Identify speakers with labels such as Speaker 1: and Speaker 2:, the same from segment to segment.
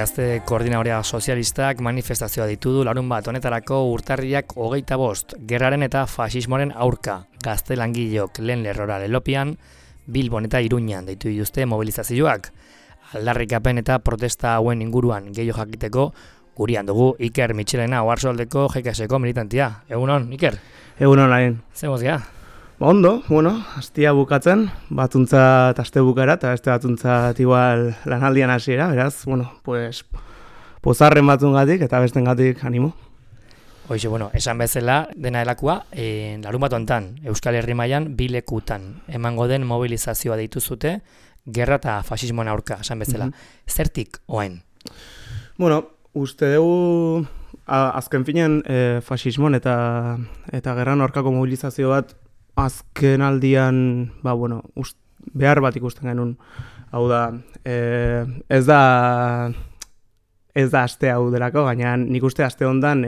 Speaker 1: Gazte Koordinadorea Sozialistak manifestazioa ditu du larunbat honetarako urtarriak 25, gerraren eta faxismoaren aurka. Gazte langileok lehen lerrora lelopian, Bilbon eta Iruñan deitu dituzte mobilizazioak. Aldarrikapen eta protesta hauen inguruan gehiago jakiteko, gurean dugu Iker Mitxelena Oarsoaldeko GKS-ko militantia. Egunon, Iker?
Speaker 2: Egunon, Lain.
Speaker 1: Zer mozia?
Speaker 2: Ondo, astia bukatzen, batuntzat aste bukara, eta beste batuntzat igual lanaldian hasiera, beraz, pozarren batzungatik eta bestengatik animo.
Speaker 1: Hoxe, esan bezala dena delakua, larun bat hontan, Euskal Herri mailan bi lekutan emango den mobilizazioa deitu zute, gerra eta faxismoen aurka, esan bezala. Zertik oain?
Speaker 2: Uste dugu azken finean faxismoen eta gerran aurkako mobilizazio bat azken aldian, behar bat ikusten genuen. Hau da, ez da aste hau delako, baina nik uste aste hondan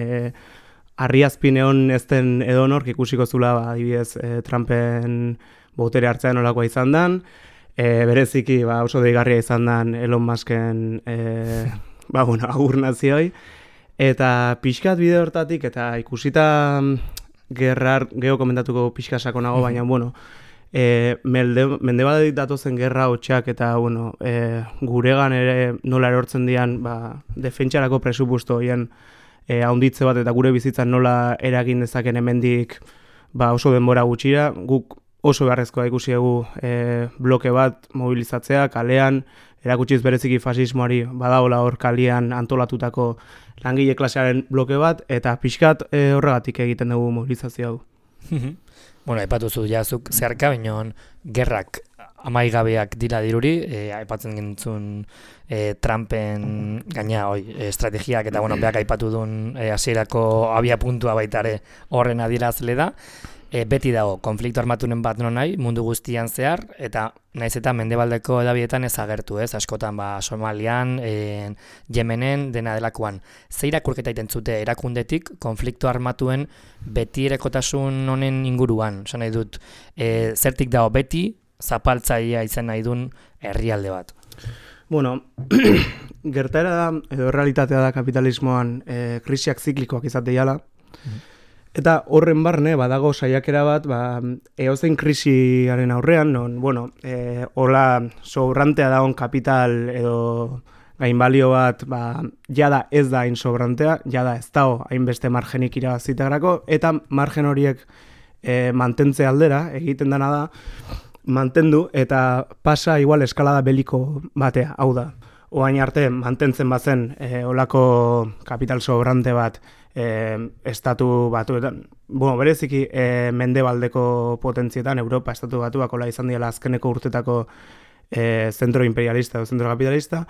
Speaker 2: harriazpin egon ez den edonork ikusiko zula, adibidez, Trumpen botere hartzea nolakoa izan den, bereziki oso deigarria izan den Elon Musken agur nazioi, eta pixkat bide hortatik, eta ikusita gerrar, geho komentatuko pixka sakonago, baina, mendebaldetik datozen gerra hotxak eta, guregan ere nola erortzen dian, defentsarako presupuesto hien haunditze bat eta gure bizitzan nola eragin dezaken hemendik oso denbora gutxira, guk oso beharrezkoa ikusi dugu bloke bat mobilizatzea, kalean, erakutsiz bereziki fasismoari badagola hor kalean antolatutako langile klasearen bloke bat, eta pixkat horregatik egiten dugu mobilizazio hau.
Speaker 1: Aipatu zu jazuk zeharka, baina gerrak amaigabeak dira diruri, aipatzen gintzun Trumpen gaina estrategiak eta beak aipatu duen hasierako abia puntua baitare horren adierazle da. Beti dago, konflikto armatunen bat nahi, mundu guztian zehar, eta naiz eta mendebaldeko edabietan ez agertu, askotan Somalian, Yemenen, dena delakoan. Ze irakurketa egiten zute erakundetik konflikto armatuen beti erekotasun honen inguruan, esan nahi dut, zertik dago beti zapaltzaia izan nahi duen herrialde bat?
Speaker 2: Gertaera da, edo realitatea da kapitalismoan krisiak ziklikoak izate jala, eta horren barne, badago saiakera bat, eozein krisiaren aurrean, hola sobrantea dagoen kapital edo gainbalio bat, jada ez da hain sobrantea, jada ez dago hainbeste margenik irabazitagrako, eta margen horiek mantentze aldera, egiten dena da, mantendu eta pasa igual eskalada beliko batea, hau da. Oain arte mantentzen bazen olako kapital sobrante bat estatu batuetan, bereziki mendebaldeko potentzietan, Europa estatu batuak hola izan diela azkeneko urtetako zentro imperialista edo zentro kapitalista,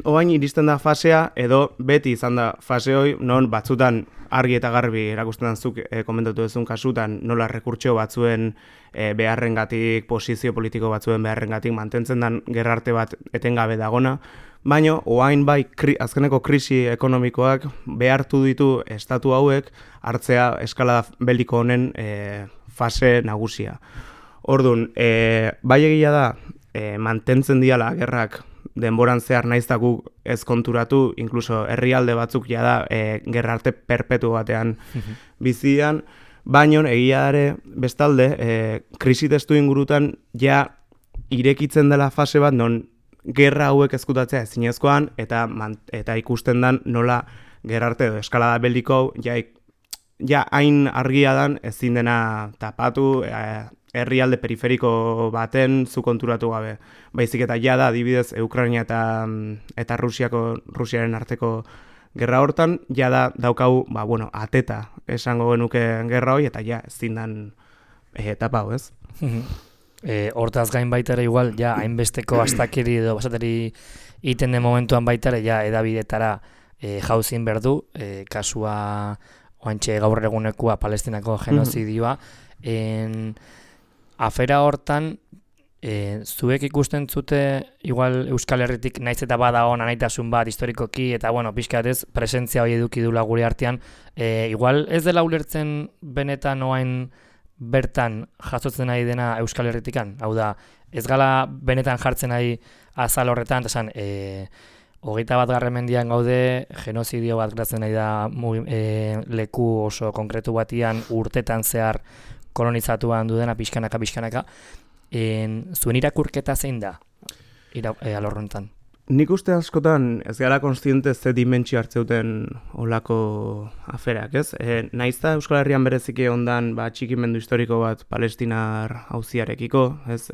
Speaker 2: oain iristen da fasea, edo beti izan da fase hoi, non batzutan argi eta garbi erakusten zuk komentatu duzun kasutan, nola rekurtso batzuen beharrengatik, posizio politiko batzuen beharrengatik mantentzen den gerrarte bat etengabe dagona, baina oain azkeneko krisi ekonomikoak behartu ditu estatu hauek hartzea eskalada beliko honen fase nagusia. Orduan, bai egia da mantentzen diala gerrak denboran zehar naiztaku ez konturatu, inkluso herrialde batzuk jada gerrarte perpetu batean bizian, baina egia ere bestalde krisi testu ingurutan ja irekitzen dela fase bat non gerra hauek ezkutatzea ezinezkoan eta ikusten dan nola gerrarte edo eskalada beliko ja hain argia dan ezin dena tapatu herrialde periferiko baten zu konturatu gabe. Baizik eta jada adibidez Ukraina eta Rusiaren arteko gerra hortan, jada daukau, ateta esango genuke gerra hori, eta ja ezin dan tapau, ez?
Speaker 1: Hortaz gain baitare igual, ja hainbesteko astakeri edo basateri iten den momentuan baitare, ja edabidetara jauzin berdu, kasua oantxe gaur egunekua Palestinako genozidioa, afera hortan, zuek ikusten zute, igual Euskal Herritik naiz eta badago anaitasun bat historikoki, eta pixkatez presentzia hori eduki dula gure artean, igual ez dela ulertzen benetan oain bertan jasotzen nahi dena Euskal Herritikan, hau da, ez gala benetan jartzen nahi azal horretan, esan, 21. mendian gaude, genozidio bat gertatzen nahi da leku oso konkretu batian urtetan zehar kolonizatuan dudena pixkanaka. Zuen irakurketa zein da alorrontan?
Speaker 2: Nik uste askotan ez gara konstiente ze dimentsio hartzeuten olako aferak, ez? Naizta Euskal Herrian bereziki ondan txikimendu historiko bat palestinar auziarekiko, ez?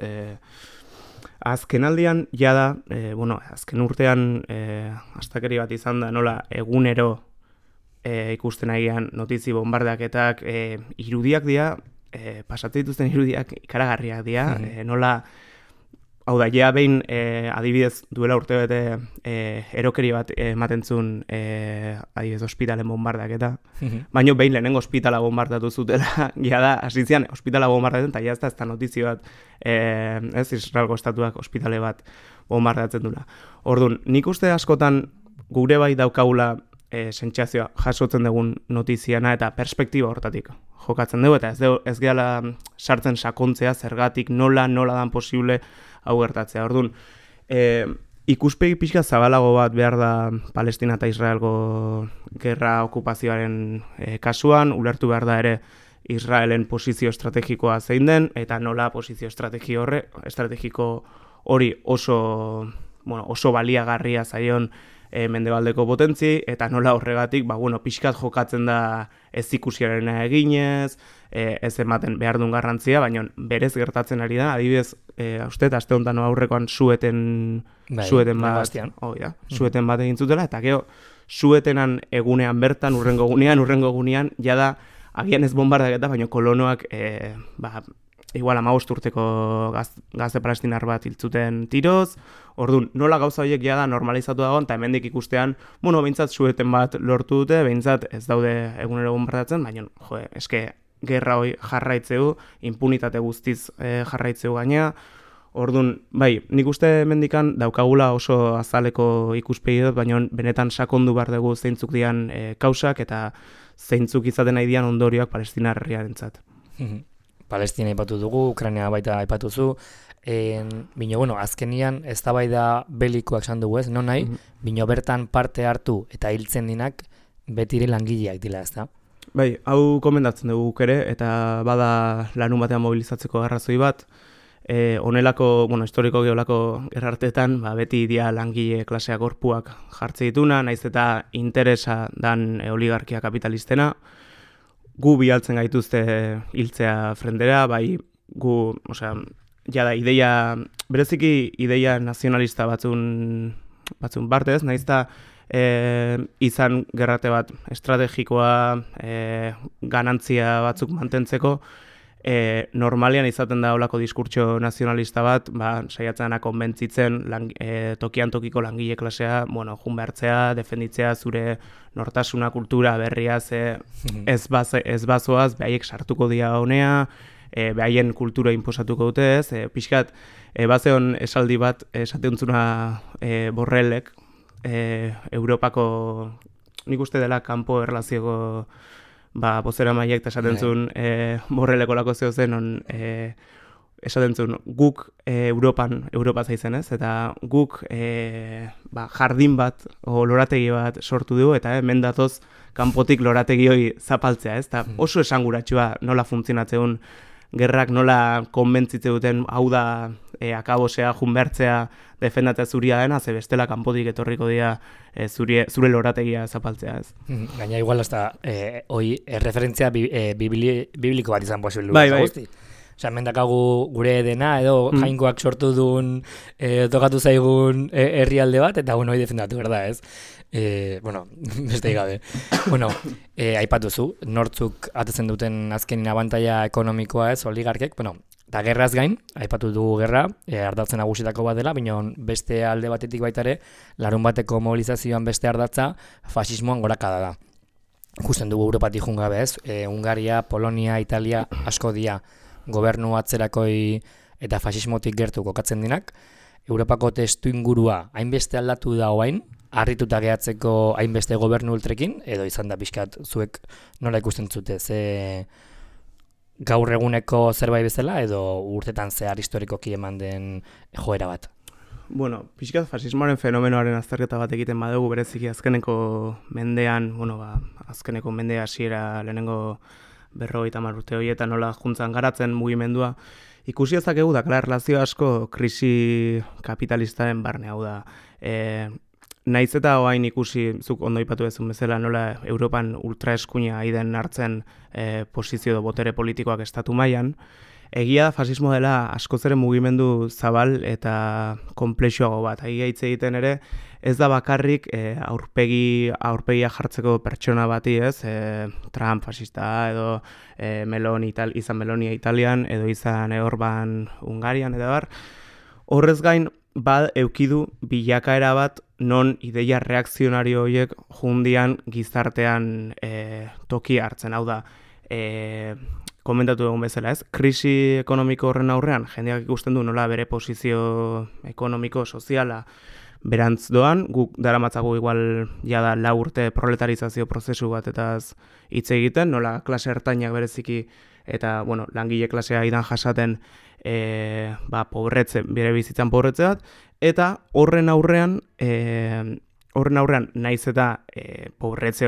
Speaker 2: Azken aldian, jada, azken urtean astakeri bat izan da, nola egunero ikusten agian notizi bombardaketak irudiak dira, pasatzen dituzten irudiak ikaragarriak dira, nola, hau da, ja behin adibidez duela urte bete erokeri bat ematen zuen adibidez ospitalen bombardaketa, baina behin lehenengo ospitala bombardatu zutela, da, hasitzean ospitala bombardatzen, eta ez da notizio bat, ez Israelgo estatuak ospitale bat bombardatzen dula. Orduan, nik uste askotan gure bai daukagula sentsazioa jasotzen dugun notiziana eta perspektiba hortatik jokatzen dugu, eta ez gehala sartzen sakontzea zergatik nola dan posible hau gertatzea. Orduan, ikuspegi pixka zabalago bat behar da Palestina eta Israelgo gerra okupazioaren kasuan, ulertu behar da ere Israelen posizio estrategikoa zein den, eta nola posizio estrategiko hori oso baliagarria zaion mendebaldeko potentzi, eta nola horregatik, pixkat jokatzen da ez ikusiarena eginez, ez ematen behar duen garrantzia, baina berez gertatzen ari da, adibidez, uste, aste honetan aurrekoan sueten bat egin zutela, eta gero, suetenan egunean bertan, urrengo gunean, jada, agian ez bombardaketa, baina kolonoak, igual 15 urteko gazte palestinar bat hiltzuten tiroz, orduan, nola gauza horiek jada normalizatu dagoen, eta hemendik ikustean, behintzat sueten bat lortu dute, behintzat ez daude egunero bombardatzen, baina, eske, gerra hori jarraitzeu, impunitate guztiz jarraitzeu gaina, orduan, nik uste hemendikan daukagula oso azaleko ikuspegi dut, baina benetan sakondu behar dugu zeintzuk dian kausak, eta zeintzuk izaten nahi dian ondorioak Palestinar herriarentzat.
Speaker 1: Palestina aipatu dugu, Ukraina baita aipatu zu, bino, azkenian ez da bai da belikoak esan dugu ez, non nahi, bino bertan parte hartu eta hiltzen dinak betire langileak dila ez da?
Speaker 2: Hau komendatzen dugu ere, eta bada lanun batean mobilizatzeko arrazoi bat, honelako, historiko geolako gerrartetan, beti dia langile klasea gorpuak jartze dituna, naiz eta interesa dan oligarkia kapitalistena, gu bialtzen gaituzte hiltzea frendera, gu, jada, bereziki ideia nazionalista batzun partez, naizta izan gerrate bat estrategikoa, ganantzia batzuk mantentzeko, normalian izaten da olako diskurtso nazionalista bat, saiatzen konbentzitzen tokian tokiko langile klasea, jun behartzea, defenditzea zure nortasuna, kultura, berria, ez bazoaz, behaiek sartuko dira honea, behaien kultura inposatuko dute ez, pixkat, bazeon esaldi bat, esateuntzuna Borrellek, Europako, nik uste dela kanpo erlazioko bozera maiek eta esaten zuen Borrelleko lako zeo zen, esaten zuen guk Europa zaizen ez, eta guk jardin bat, o lorategi bat sortu dugu, eta hemen datoz kanpotik lorategi hori zapaltzea ez, eta oso esanguratsua nola funtzionatzen gerrak, nola konbentzitze duten hau da akabosea, junbertzea, defendatzea zuria dena, ze bestela kanpotik etorriko dira zure lorategia zapaltzea ez.
Speaker 1: Gaina igual hasta hoi referentzia bibliko bat izan posible.
Speaker 2: Bai.
Speaker 1: Osea, mendakagu gure dena, edo jainkoak sortu duen, tokatu zaigun herrialde bat, eta hoi defendatu, berda ez? Beste gabe. Aipatuzu, nortzuk atetzen duten azkenin abantaila ekonomikoa ez, oligarkek, eta gerraz gain, aipatu dugu gerra, ardatzen nagusitako bat dela, baina beste alde batetik baita ere, larun bateko mobilizazioan beste ardatza, fasismoan gorakada da. Ikusten dugu Europatik jungabe ez, Hungaria, Polonia, Italia, asko dia, gobernu atzerakoi eta fasismotik gertu kokatzen dinak, Europako testu ingurua hainbeste aldatu da oain, harrituta gehatzeko hainbeste gobernu ultrekin, edo izan da pixkat zuek nola ikusten zute, ze gaur eguneko zerbait bezala, edo urtetan zehar historikoki eman den joera bat?
Speaker 2: Bueno, pixkat fasismoaren fenomenoaren azterketa bat egiten badugu bereziki azkeneko mendean, azkeneko mendea hasiera lehenengo 50 urte horietan nola juntzan garatzen mugimendua, ikusi dezakegu dakala erlazio asko krisi kapitalistaren barne, hau da. Naiz eta oain ikusi, zuk ondo ipatu ezun bezala, nola Europan ultraeskuina aiden hartzen posizio edo botere politikoak estatu mailan, egia da fasismo dela askoz ere mugimendu zabal eta konplexuago bat. Egia hitz egiten ere, ez da bakarrik aurpegia jartzeko pertsona bati, ez? Trump fasista edo izan Meloni Italian edo izan Orban Hungarian edo bar. Horrez gain, eukidu bilakaera bat non ideia reakzionario horiek jundian gizartean toki hartzen. Hau da, komentatu egun bezala, ez? Krisi ekonomiko horren aurrean, jendeak ikusten du nola bere posizio ekonomiko, soziala berantz doan, guk daramatzagu igual jada 4 urte proletarizazio prozesu bat eta hitz egiten, nola klase ertainak bereziki eta langile klasea idan jasaten bere bizitzan pobretze bat, eta horren aurrean naiz eta pobretze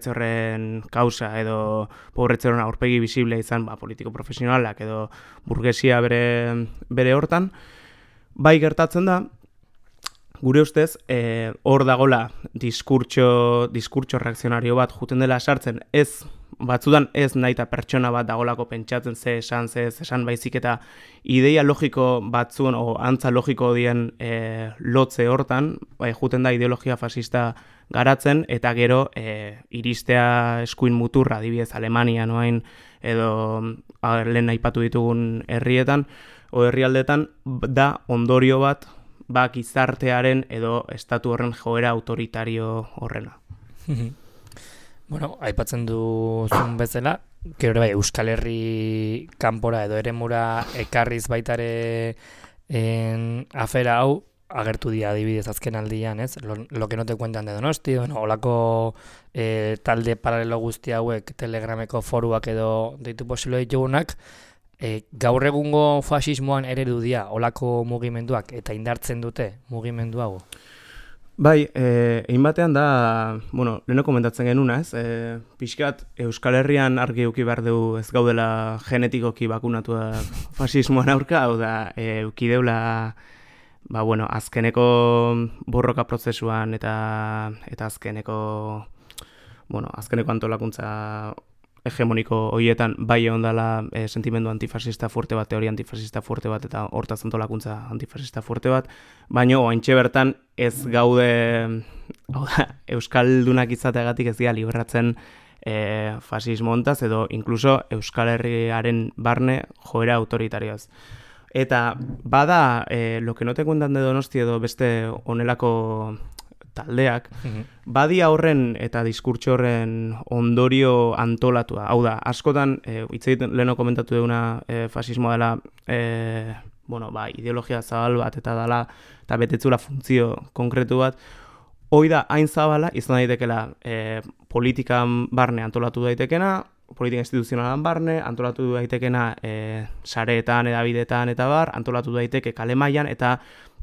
Speaker 2: horren kausa edo pobretze horren aurpegi bisible izan politiko profesionalak edo burgesia bere hortan, bai gertatzen da, gure ustez, hor dagola diskurtso reakzionario bat juten dela sartzen, batzudan ez nahi eta pertsona bat dagolako pentsatzen ze esan baizik eta ideia logiko batzuen o antza logiko dien lotze hortan, juten da ideologia fasista garatzen eta gero iristea eskuin muturra, adibidez Alemania noain edo lehen aipatu ditugun herrietan o herrialdetan da ondorio bat gizartearen edo estatu horren joera autoritario horrena.
Speaker 1: Aipatzen duzun bezala, gero bai Euskal Herri kanpora edo eremura ekarriz baitare afera hau agertu dira adibidez azken aldian, ez? Lo que no te cuentan de Donosti, olako talde paralelo guzti hauek Telegrameko foruak edo deitu posilo ditugunak, gaur egungo fasismoan eredu dira olako mugimenduak eta indartzen dute mugimendu hau?
Speaker 2: Bai, egin batean da, leheno komentatzen genuna, ez? Pixkat Euskal Herrian argi euki behar dugu ez gaudela genetikoki bakunatua fasismoan aurka, hau da, euki deula azkeneko borroka prozesuan eta azkeneko antolakuntza hegemoniko horietan bai egon dela sentimendu antifasista fuerte bat, teoria antifasista fuerte bat eta hortaz antolakuntza antifasista fuerte bat, baina oaintxe bertan ez gaude Euskaldunak izateagatik ez dira libratzen fasismo hontaz edo inkluso Euskal Herriaren barne joera autoritarioaz. Eta bada, lo que no te cuentan de Donosti edo beste honelako taldeak, badia horren eta diskurtso horren ondorio antolatua. Hau da, askotan, hitz egiten leheno komentatu duguna fasismoa dela, ideologia zabal bat eta dela, eta betetzula funtzio konkretu bat, hoi da, hain zabala, izan daitekela politikan barne antolatu daitekena, politika instituzionalan barne, antolatu daitekena sareetan, edabideetan eta bar, antolatu daiteke kale mailan eta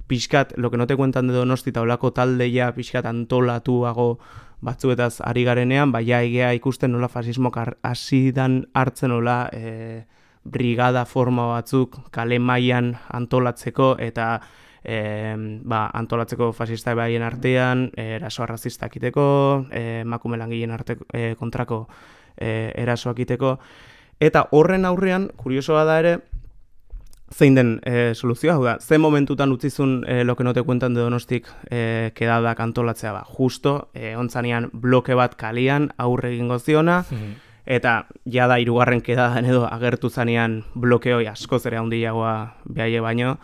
Speaker 2: pixkat, lo que no te cuentan de Donosti eta olako taldeia pixkat antolatuago batzuetaz ari garenean, egea ikusten nola fasismok hasidan hartzen nola brigada forma batzuk kale mailan antolatzeko eta antolatzeko fasista baien artean, eraso arrazistak iteko, emakume langileen kontrako erasoak iteko, eta horren aurrean, kuriosoa da ere, zein den soluzioa, hau da, ze momentutan utzizun lo que no te cuentan de Donostik kedadak antolatzea justo, ontzanean bloke bat kalian aurre egingo ziona, eta jada 3. kedadan edo agertu zanean blokeoi askoz ere handiagoa behaie baino,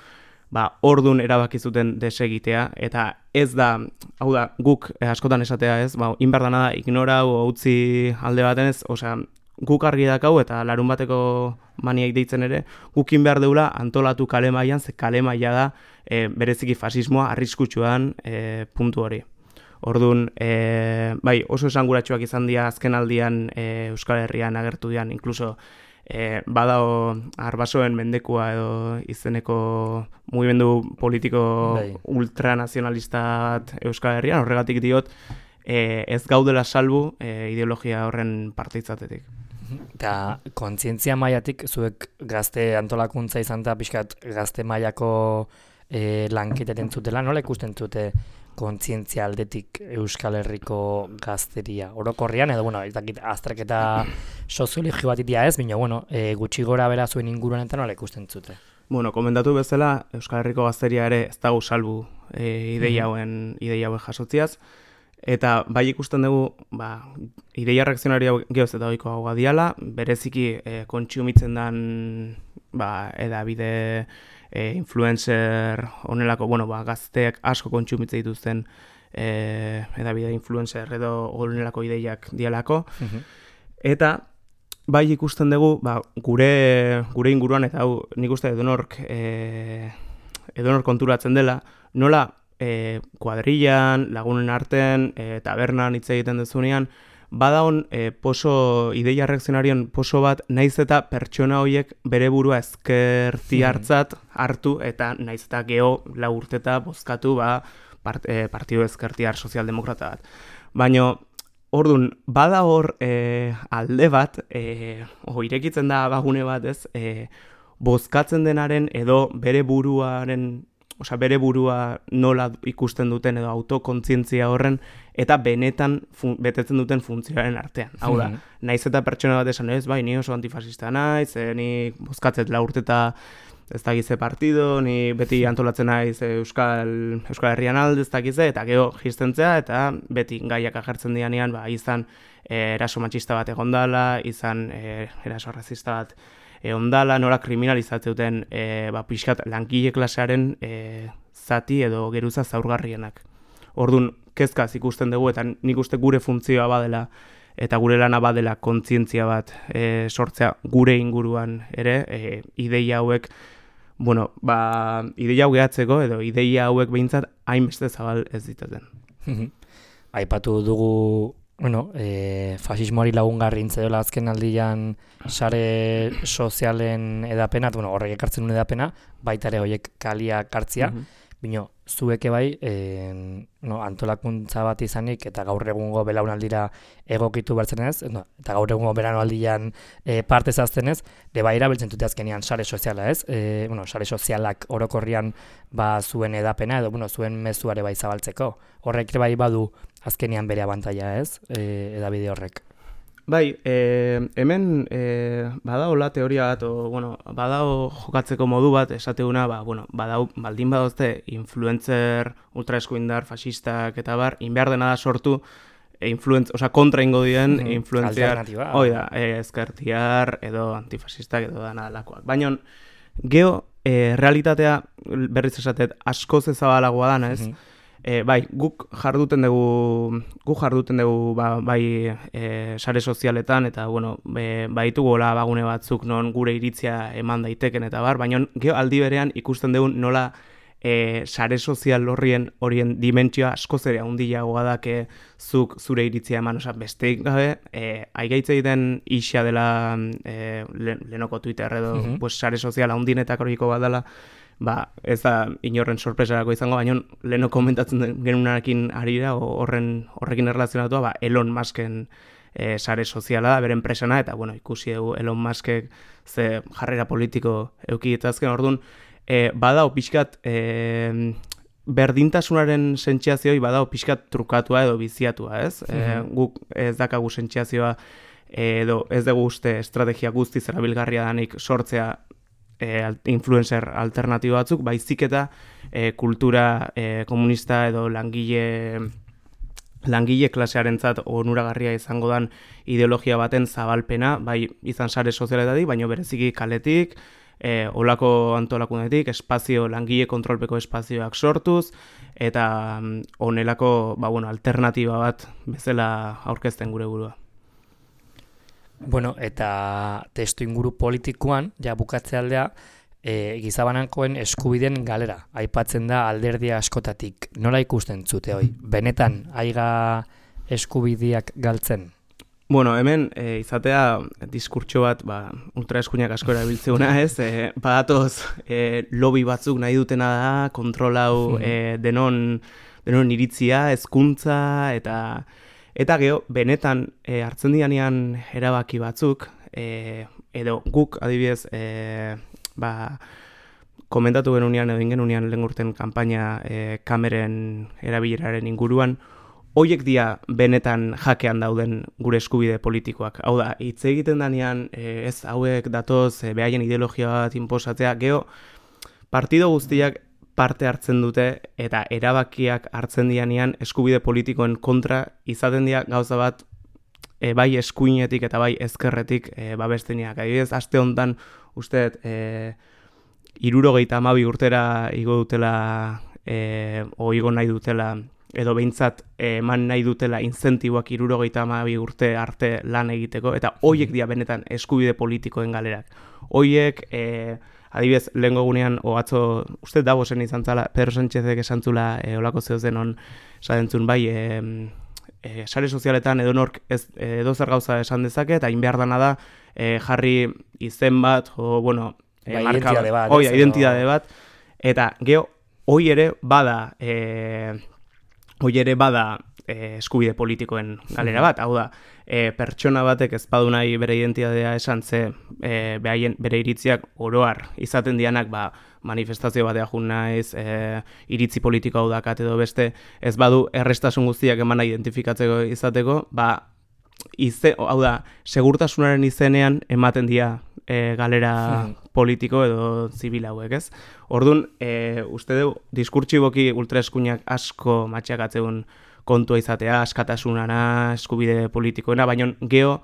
Speaker 2: ordun erabaki zuten desegitea, eta ez da, hau da, guk askotan esatea ez, inberdana da ignora o utzi alde baten ez, osea, guk argi dakau eta larun bateko maniak deitzen ere, gukin behar deula antolatu kale mailan, ze kale maila da bereziki fasismoa arriskutsuan puntu hori. Orduan, oso esanguratsuak izan dira azken aldian Euskal Herrian agertu dian, inkluso badao arbasoen mendekua edo izeneko mugimendu politiko ultranazionalista bat Euskal Herrian, horregatik diot, ez gaudela salbu ideologia horren parte izatetik.
Speaker 1: Eta kontzientzia mailatik, zuek gazte antolakuntza izan da, pixkat gazte mailako lanketeten zutela, nola ikusten zute kontzientzia aldetik Euskal Herriko gazteria? Orokorrian, edo, ez dakit, azterketa soziologio bat itia ez, baina, gutxi gora bera zuen inguruan eta nola ikusten zute?
Speaker 2: Komentatu bezala, Euskal Herriko gazteria ere ez dago salbu ideia hauen jasotziaz, eta bai ikusten dugu, ideia reakzionaria gehoz eta oiko hau diala, bereziki kontsumitzen dan edabide influencer honelako, gazteak asko kontsumitzen dituzten edabide influencer edo honelako ideiak dialako, eta bai ikusten dugu, gure inguruan, eta hau nik uste edonor konturatzen dela, nola kuadrillan, lagunen artean, tabernan hitz egiten dezunean, badaon ideia reakzionarioen poso bat, naiz eta pertsona horiek bere burua ezkerti hartu, eta naiz eta geho lau urteta bozkatu partido ezkertiar sozialdemokrata bat. Baina, orduan, bada hor alde bat, irekitzen da bagune bat ez, bozkatzen denaren edo bere burua nola ikusten duten edo autokontzientzia horren eta benetan betetzen duten funtzioaren artean. Hau da, naiz eta pertsona bat esan ez, ni oso antifasista naiz, ni bozkatzet la urteta ez dakize partido, ni beti antolatzen naiz Euskal Herrian alde ez dakize, eta geho jiztentzea, eta beti gaiak agertzen dianean, izan eraso matxista bat egondala, izan eraso razista bat ondala, nola kriminalizatzeuten pixkat langile klasearen zati edo geruza zaurgarrienak. Orduan, kezkaz ikusten dugu, eta nik uste gure funtzioa badela, eta gure lana badela kontzientzia bat sortzea gure inguruan ere, ideia hauek, ideia hau gehatzeko, edo ideia hauek behintzat hainbeste zabal ez ditaten.
Speaker 1: Aipatu dugu, fasismoari lagungarri intzedola azken aldian sare sozialen edapena, horrek ekartzen duen edapena, baita ere horiek kalia kartzia, bino, zueke bai, antolakuntza bat izanik, eta gaur egungo belaunaldira egokitu bertzenez, eta gaur egungo beranoaldian parte zaztenez, bai erabiltzen dute azkenean sare soziala, ez? Sare sozialak orokorrian zuen edapena, edo zuen mezuare bai zabaltzeko. Horrek bai badu azkenean bere abantaila, ez? Edabide horrek.
Speaker 2: Bai, hemen badaola teoria bat, badao jokatzeko modu bat, esateuna, baldin badozte influencer, ultraeskuindar, fascistak eta inbehar dena da sortu, kontra ingo dien influenziar, ezkertiar edo antifasistak edo dana delakoak. Baina, geho, realitatea, berriz esatet, askoz ezabalagoa dana, ez? Guk jarduten dugu sare sozialetan eta baitugu bagune batzuk non gure iritzia eman daiteken eta baina aldi berean ikusten dugu nola sare sozial horien dimentsioa askoz ere handiagoa da zuk zure iritzia eman, besteik gabe aigaitze egiten isa dela lehenoko Twitter edo sare sozial handinetak horiko bat dela, ez da inorren sorpresarako izango, baina leheno komentatzen genunarekin arira, horrekin erlazionatua, Elon Musken sare soziala da, beren presana, eta ikusi dugu Elon Muskek ze jarrera politiko eukidetazken, orduan, badao pixkat berdintasunaren sentziazioi badao pixkat trukatua edo biziatua, ez? Guk ez dakagu sentziazioa edo ez dugu uste estrategia guztiz erabilgarria danik sortzea influencer alternatibo batzuk, baizik eta kultura komunista edo langile klasearentzat onuragarria izango dan ideologia baten zabalpena, bai izan sare sozialetatik, baino bereziki kaletik, olako antolakunetik, langile kontrolpeko espazioak sortuz, eta honelako alternatiba bat bezala aurkezten gure burua.
Speaker 1: Eta testu inguru politikoan, bukatze aldea, gizabanankoen eskubideen galera. Aipatzen da alderdia askotatik. Nola ikusten zute hoi? Benetan, aiga eskubideak galtzen?
Speaker 2: Bueno, hemen izatea diskurtso bat, ultraeskuinak asko erabiltzeuna, ez? Badatoz lobby batzuk nahi dutena da, kontrolau denon iritzia, hezkuntza eta geho, benetan hartzen dianean erabaki batzuk, edo guk adibidez, komentatu genunean edo ingenunean lehen urten kanpaina kameren erabileraren inguruan, hoiek dia benetan jakean dauden gure eskubide politikoak. Hau da, hitz egiten danean, ez hauek datoz, behaien ideologia bat inposatzea, geho, partido guztiak parte hartzen dute eta erabakiak hartzen dianean eskubide politikoen kontra izaten dira gauza bat bai eskuinetik eta bai ezkerretik babesteniak. Adibidez, aste honetan uste 72 urtera igo dutela, igo nahi dutela, edo behintzat eman nahi dutela incentiboak 72 urte arte lan egiteko, eta hoiek dira benetan eskubide politikoen galerak. Hoiek, adibidez, lehengo gunean, atzo, uste Davosen izan zala, Pedro Sánchezek esan zula olako zehozen on, sadentzun bai, sare sozialetan edonork edozer gauza esan dezake, eta inbehar dana da jarri izen bat,
Speaker 1: identitate bat.
Speaker 2: Identitate bat, eta geho, hoi ere bada eskubide politikoen galera bat, hau da, pertsona batek ez badu nahi bere identitatea esan ze bere iritziak oroar izaten dianak manifestazio batea jun naiz, iritzi politiko hau dakat edo beste, ez badu errestasun guztiak emana identifikatzeko izateko, hau da, segurtasunaren izenean ematen dira galera politiko edo zibil hauek, ez? Orduan, uste du, diskurtsiboki ultraeskuinak asko matxakatzeun kontua izatea, askatasunana, eskubide politikoena, baina geho,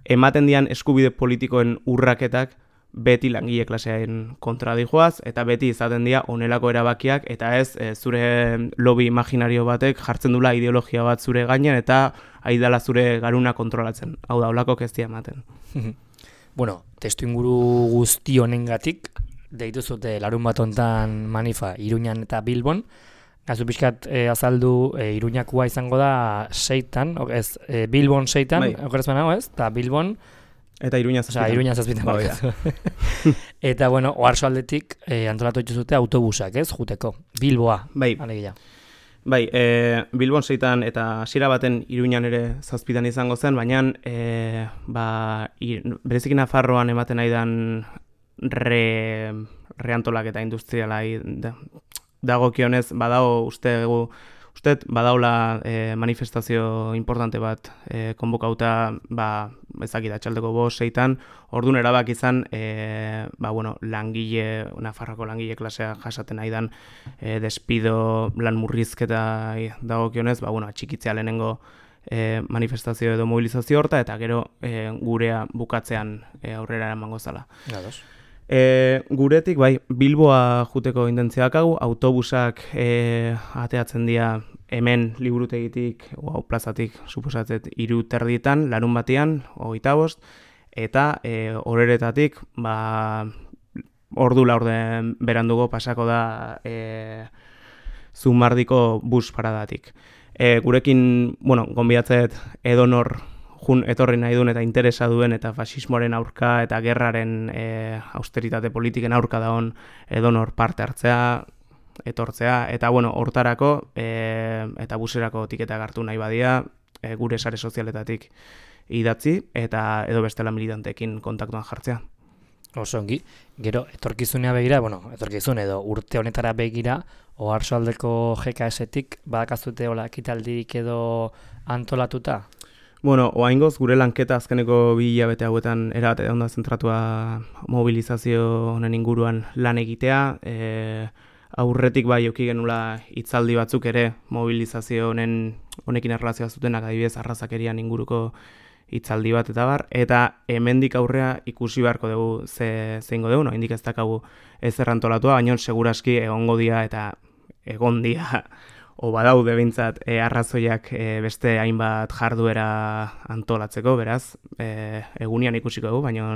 Speaker 2: ematen dian eskubide politikoen urraketak beti langile klasearen kontra dijoaz, eta beti izaten dira onelako erabakiak, eta ez zure lobby imaginario batek jartzen dula ideologia bat zure gainean, eta aidala zure garuna kontrolatzen. Hau da, holako kestia ematen.
Speaker 1: Bueno, testu inguru guzti honengatik, deitu zute larun bat hontan manifa Iruñan eta Bilbon, gazu pixkat azaldu Iruñakua izango da 6tan, Bilbon 6tan, okeraz banago ez, eta Bilbon
Speaker 2: eta Iruña 7.
Speaker 1: Iruña 7. Eta bueno, oarsoaldetik antolatu dituzute autobusak, ez, juteko. Bilboa.
Speaker 2: Bai.
Speaker 1: Alegia.
Speaker 2: Bai, Bilbon 6tan eta hasiera baten Iruñan ere 7tan izango zen, baina berezik Nafarroan ematen aidan reantolaketa industriala dagokionez badago uste badaula manifestazio importante bat konbokauta ezakita txaldeko 5-6tan, orduan erabak izan Nafarroko langile klasea jasaten aidan despido lan murrizketa dagokionez, atxikitzea lehenengo manifestazio edo mobilizazio horta, eta gero gurea bukatzean aurrera emango zala. Guretik, Bilboa juteko indentziak hau, autobusak ateatzen dira hemen liburutegitik, plazatik, suposatzet, 3:30 larun batean, 25, eta horretatik, ordu laurden berandugo pasako da Zumardiko bus paradatik. Gurekin, gonbidatzet edonor jun etorri nahi duen eta interesa duen eta fasismoaren aurka eta gerraren austeritate politiken aurka dagoen edonor parte hartzea, etortzea, eta hortarako eta buserako tiketak hartu nahi badia gure sare sozialetatik idatzi eta edo bestela militanteekin kontaktuan jartzea.
Speaker 1: Oso ongi, gero etorkizunea begira, etorkizun edo urte honetara begira, oarsoaldeko GKS-etik badakazute hola ekitaldirik edo antolatuta?
Speaker 2: Oaingoz, gure lanketa azkeneko 2 hilabete hauetan erabate onda zentratua mobilizazio honen inguruan lan egitea. Aurretik eduki genula hitzaldi batzuk ere mobilizazio honekin erlazioa zutenak, adibidez arrazakerian inguruko hitzaldi bat eta bar, eta hemendik aurrea ikusi beharko dugu zeingo dugu, hendik ez dakagu ez errantolatua, baina seguraski egongo dia eta egon dia badaude behintzat arrazoiak beste hainbat jarduera antolatzeko, beraz, egunian ikusiko dugu, baina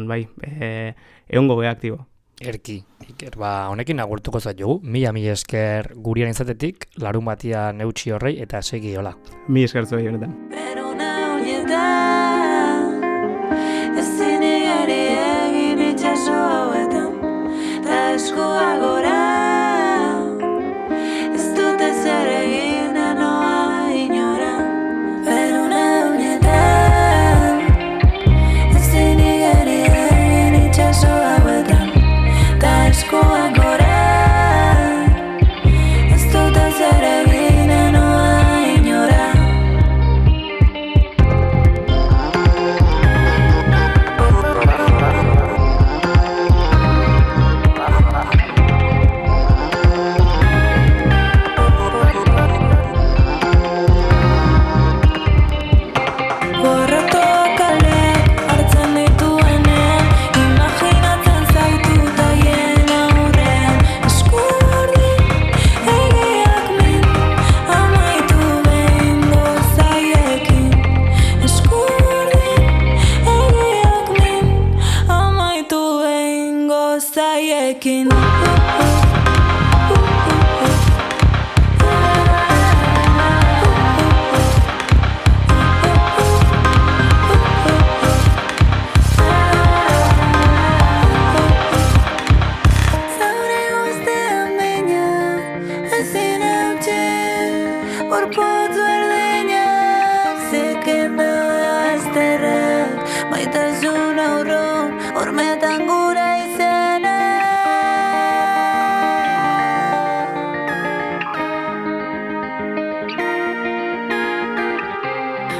Speaker 2: egongo geha aktibo.
Speaker 1: Erki, Iker, honekin agurtuko zaitugu, mila esker gurian izatetik, larun batia neutxi horrei eta segi hola.
Speaker 2: Mila esker zuei honetan.
Speaker 3: Pero now you die. eskua gora. Ez dut ezer egin noa inora. Peruna unetan, ezin igeri egin itxaso hauetan. Ta eskua gora. Ez dut ezer egin noa inora. Zaiekin Zaure guztean baina ezin eutxe gorputz berdinak zikendu azterrak maitasun aurron hormetan gura izena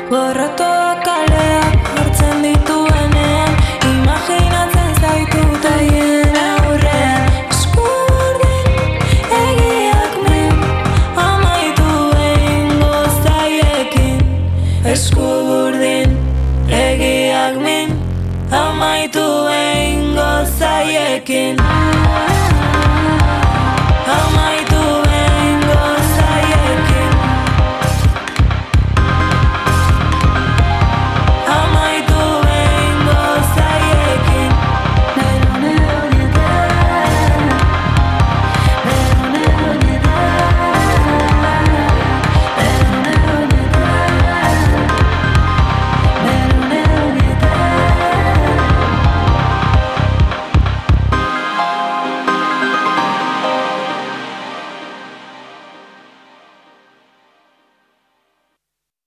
Speaker 3: Gorrotoak kaleak hartzen dituenean imaginatzen zaitut haien aurrean Esku burdin egiak min amaitu egingo zaiekin Esku burdin egiak min amaitu egingo zaiekin